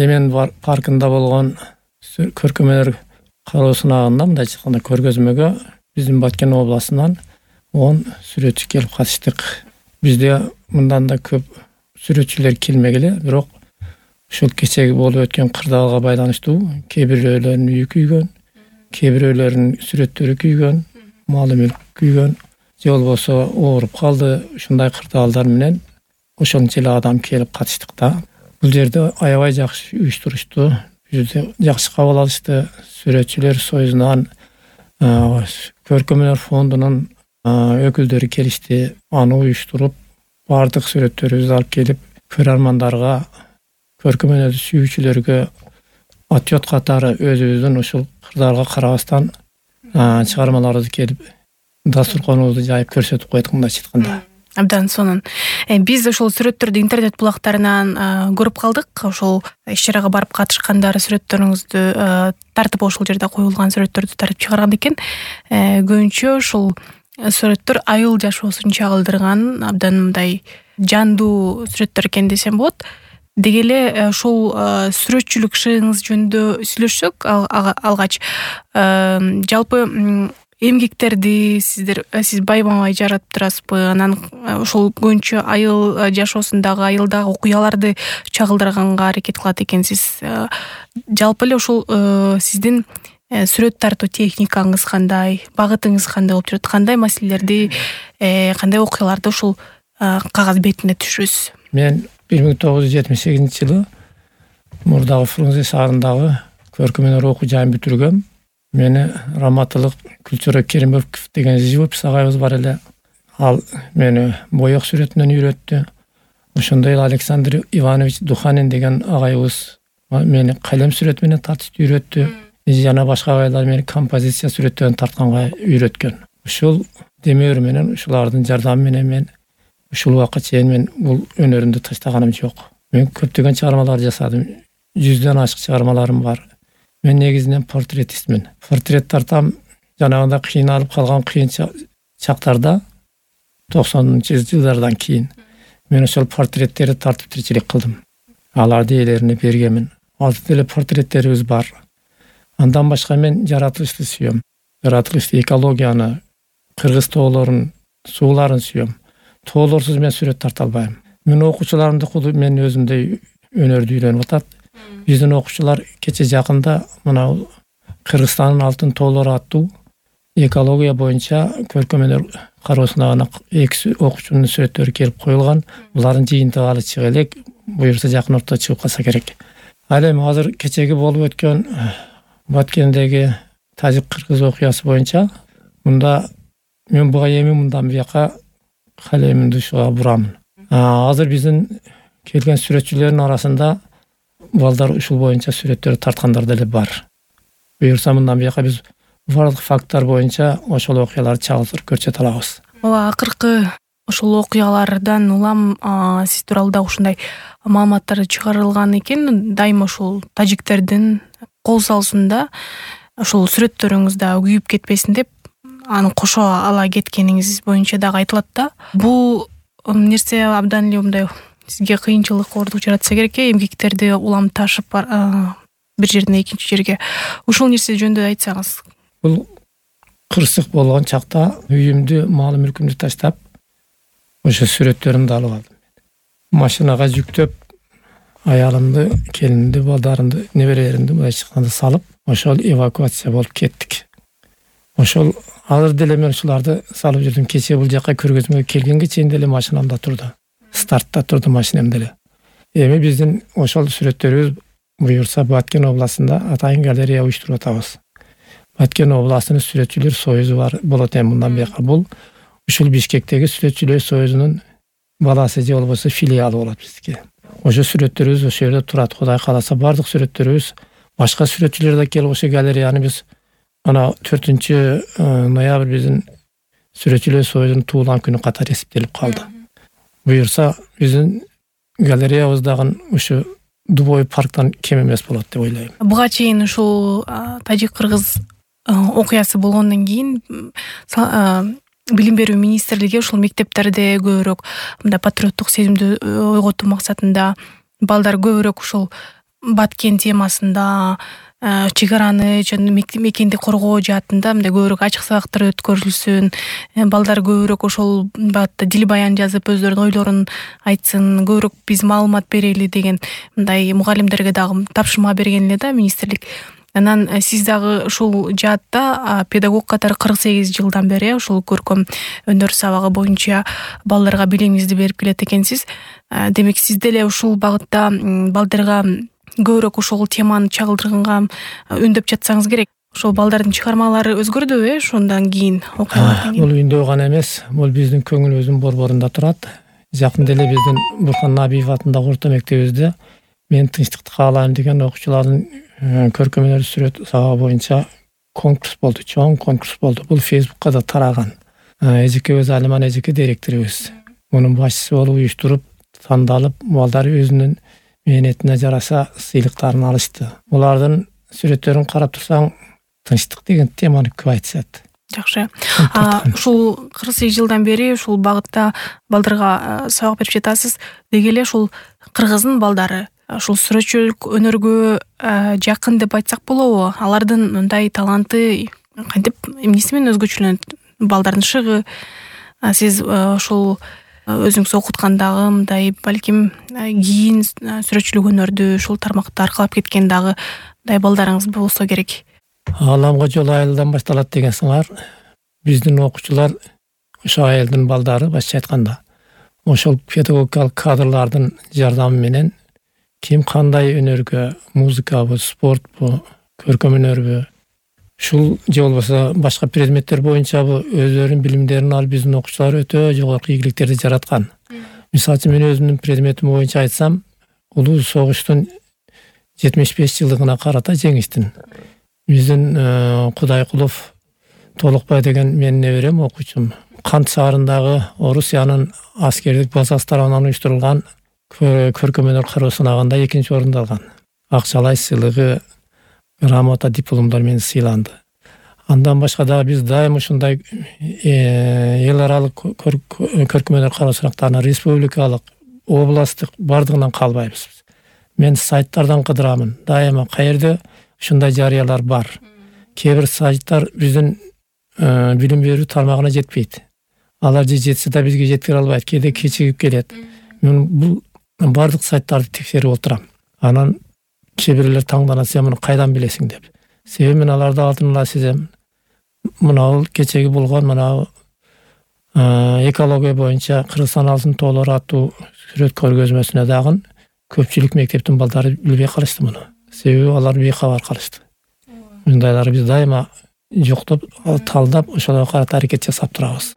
Эмен паркында болгон көркөмөнөр кароо сынагында мындайча айтканда көргөзмөгө биздин Баткен областынан 10 сүрөтчү келип катыштык. Бизде мындан да көп сүрөтчүлөр келмегиле, бирок ушул кечеги болуп өткөн кырдаалга байланыштуу кээ бирөөлөрүнүн үйү күйгөн, кээ бирөөлөрүнүн сүрөттөрү күйгөн, малы мүлк күйгөн, же болбосо ооруп калды. Ушундай кырдаалдар менен ошончо эле адам келип катыштык да. Бул жерде аябай жакшы уюштурушту. Бизди жакшы кабыл алышты. Сүрөтчүлөр союзунан, көркөмөнөр фондунун өкүлдөрү келишти. Аны уюштуруп, бардык сүрөттөрүбүздү алып келип, көрөрмандарга, көркөмөнөр сүйүүчүлөргө отчет катары өзүбүздүн ушул кырдаалга карабастан чыгармаларды келип дасторконубузду жайып көрсөтүп койдук, мындайча айтканда. Абдан сонун. Биз ошол сүрөттөрдү интернет булактарынан көрүп калдык. Ошол иш-чарага барып катышкандар сүрөттөрүңүздү тартып, ошол жерде коюлган сүрөттөрдү тартып чыгарган экен. Көбүнчө ушул сүрөттөр айыл жашоосун чагылдырган абдан мындай жандуу сүрөттөр экен десем болот. Деги эле ошол сүрөтчүлүк ишиңиз жөнүндө сүйлөшсөк алгач, жалпы эмгектерди сиз байма-бай жаратып турасызбы? Анан ошол көбүнчө айыл жашоосундагы, айылдагы окуяларды чагылдырганга аракет кылат экенсиз. Жалпы эле ошол сиздин сүрөт тартуу техникаңыз кандай, багытыңыз кандай болуп жүрөт? Кандай маселелерди, кандай окуяларды ушул кагаз бетине түшүрөсүз? Мен 1978-жылы мурдагы Фрунзе шаарындагы көркөмөнөр окуу жайын бүтүргөм. Мени Раматылык Күлчөрөк Керимбеков деген живопись агайыбыз бар эле. Ал мени боек сүрөтүнөн үйрөттү. Ошондой эле Александр Иванович Духанин деген агайыбыз мени калем сүрөт менен тартышты үйрөттү. Жана башка агайлар мени композиция сүрөттөрүн тартканга үйрөткөн. Ушул демеур менен, ушулардын жардамы менен мен ушул убакка чейин мен бул өнөрүмдү таштаганым жок. Мен көптөгөн чыгармалар жасадым. 100дөн ашык чыгармаларым бар. Мен негизинен портретистмин. Портрет тартам. Жанагында кыйналып калган кыйын чактарда 90-жылдардан кийин мен ошол портреттерди тартып тиричилик кылдым. Аларды ээлерине бергенмин. Алты деле портреттерибиз бар. Андан башка мен жаратылышты сүйөм. Жаратылышты, экологияны, кыргыз тоолорун, сууларын сүйөм. Тоолорсуз мен сүрөт тарта албайм. Мен окуучуларымды куду мен өзүмдөй өнөрдү үйрөнүп атат. Биздин окуучулар кече жакында мына Кыргызстандын алтын тоолору аттуу экология боюнча көркөмөнөр кароо сынагына 2 окуучунун сүрөттөрү келип коюлган. Булардын жыйынтыгы алы чыга элек, буюрса жакын орто чыгып калса керек. Ал эми азыр кечеги болуп өткөн Баткендеги тажик-кыргыз окуясы боюнча мында мен буга эми мындан бияка калемимди ушуга бурамын. Азыр биздин келген сүрөтчүлөрдүн арасында балдар ушул боюнча сүрөттөр тарткандар деле бар. Буюрса мындан бияка биз бардык факттар боюнча ошол окуяларды чагылдырып көрсөтө алабыз. Акыркы ошол окуялардан улам сиз тууралуу да ушундай маалыматтар чыгарылган экен. Дайыма ошол тажиктердин кол салуусунда ошол сүрөттөрүңүздө күйүп кетпесин деп аны кошо ала кеткениңиз боюнча дагы айтылат да. Бул нерсе абдан эле мындай сизге кыйынчылык ордук жаратса керек, эмгектерди улам ташып бир жерден экинчи жерге. Ушул нерсе жөнүндө айтсаңыз. Бул кырсык болгон чакта үйүмдү, мал мүлкүмдү таштап, ошо сүрөттөрүмдү алып алдым. Машинага жүктөп, аялымды, келинимди, балдарымды, неберелеримди мындайча айтканда салып, ошол эвакуация болуп кеттик. Ошол азыр деле мен ушуларды салып жүрдүм. Кече бул жака көргөзмөгө келгенге чейин деле машинамда турду. Стартта турду машинам деле. Эми биздин ошол сүрөттөрүбүз буюрса Баткен областында атайын галерея уюштуруп атабыз. Баткен областынын сүрөтчүлөр союзу бар болот эми мындан бияка. Бул ушул Бишкектеги сүрөтчүлөр союзунун баласы же болбосо филиалы болот бизге. Ошо сүрөттөрүбүз ошол жерде турат. Кудай кааласа бардык сүрөттөрүбүз, башка сүрөтчүлөр да келип ошо галереяны биз ана 4-ноябрь биздин сүрөтчүлөр союзунун туулган күнү катары эсептелип калды. Буюрса биздин галереябыздагы ушу Дубой парктан кем эмес болот деп ойлойм. Буга чейин ушул тажик-кыргыз окуясы болгондон кийин билим берүү министрлиги ушул мектептерде көбүрөөк мындай патриоттук сезимди ойготуу максатында балдар көбүрөөк ушул Баткен темасында чек араны жана мекенди коргоо жаатында мындай көбүрөөк ачык сабактар өткөрүлсүн, балдар көбүрөөк ошол багытта дил баян жазып өздөрүнүн ойлорун айтсын, көбүрөөк биз маалымат берели деген мындай мугалимдерге дагы тапшырма берген эле да министрлик. Анан сиз дагы ушул жаатта педагог катары 48 жылдан бери ушул көркөм өнөр сабагы боюнча балдарга билимиңизди берип келет экенсиз. Демек сиз деле ушул багытта балдарга көбүрөөк ошол теманы чагылдырганга үндөп жатсаңыз керек. Ошол балдардын чыгармалары өзгөрдүбү ошондон кийин окуялардан кийин? Бул үндөй гана эмес, бул биздин көңүлүбүздүн борборунда турат. Жакында эле биздин Бурхан Набиев атындагы орто мектебибизде мен тынчтыкты каалайм деген окуучулардын көркөм өнөр сүрөт сабагы боюнча конкурс болду, чоң конкурс болду. Бул Facebook'ка да тараган. Эжекебиз Алиман эжеке директорубуз мунун башчысы болуп уюштуруп тандалып, балдар өзүнүн мээнетине жараша сыйлыктарын алышты. Булардын сүрөттөрүн карап турсаң, тынчтык деген теманы көп айтышат. Жакшы. Ушул 48 жылдан бери ушул багытта балдарга сабак берип жатасыз. Деги эле ушул кыргыздын балдары ушул сүрөтчүлүк өнөргө жакын деп айтсак болобу? Алардын мындай таланты кантип эмнеси менен өзгөчөлөнөт? Балдардын шыгы. Сиз ушул өзүңүз окуткандагы мындай балким кийин сүрөтчүлүк өнөрдү ушул тармакта аркалап кеткен дагы мындай балдарыңыз болсо керек. Ааламга жол айылдан башталат деген сыңар. Биздин окуучулар ошо айылдын балдары башча айтканда ошол педагогикалык кадрлардын жардамы менен ким кандай өнөргө, музыкабы, спортпу, көркөм өнөрбү, ушул же болбосо башка предметтер боюнчабы өздөрүнүн билимдерин алып биздин окуучулар өтө жогорку ийгиликтерди жараткан. Мисалы үчүн мен өзүмдүн предметим боюнча айтсам, улуу согуштун 75 жылдыгына карата жеңиштин. Биздин Кудайкулов Толукбай деген менин неберем окуучум. Кант шаарындагы Орусиянын аскердик базасы тарабынан уюштурулган көркөм өнөр кароо сынагында 2-нчи орунду алган. Акчалай сыйлыгы, грамота, дипломдор менен сыйланды. Андан башка дагы биз дайым ушундай эл аралык көркөм өнөр кароо сынактарына республикалык, областтык бардыгынан калбайбыз. Мен сайттардан кыдырамын. Дайыма каерде ушундай жарыялар бар. Кээ бир сайттар биздин билим берүү тармагына жетпейт. Алар же жетсе да бизге жеткире албайт, кээде кечигип келет. Мен бул бардык сайттарды текшерип отурам. Анан кээ бирлер таңданат, сен муну кайдан билесиң деп. Себеби мен аларды алдын ала сезем. Мына кечеги болгон мына экология боюнча Кыргызстан алтын тоолору аттуу сүрөт көргөзмөсүнө дагы көпчүлүк мектептин балдары билбей калышты муну. Себеби алар бейкабар калышты. Мындайларды биз дайыма жоктоп, талдап, ошолорго карата аракет жасап турабыз.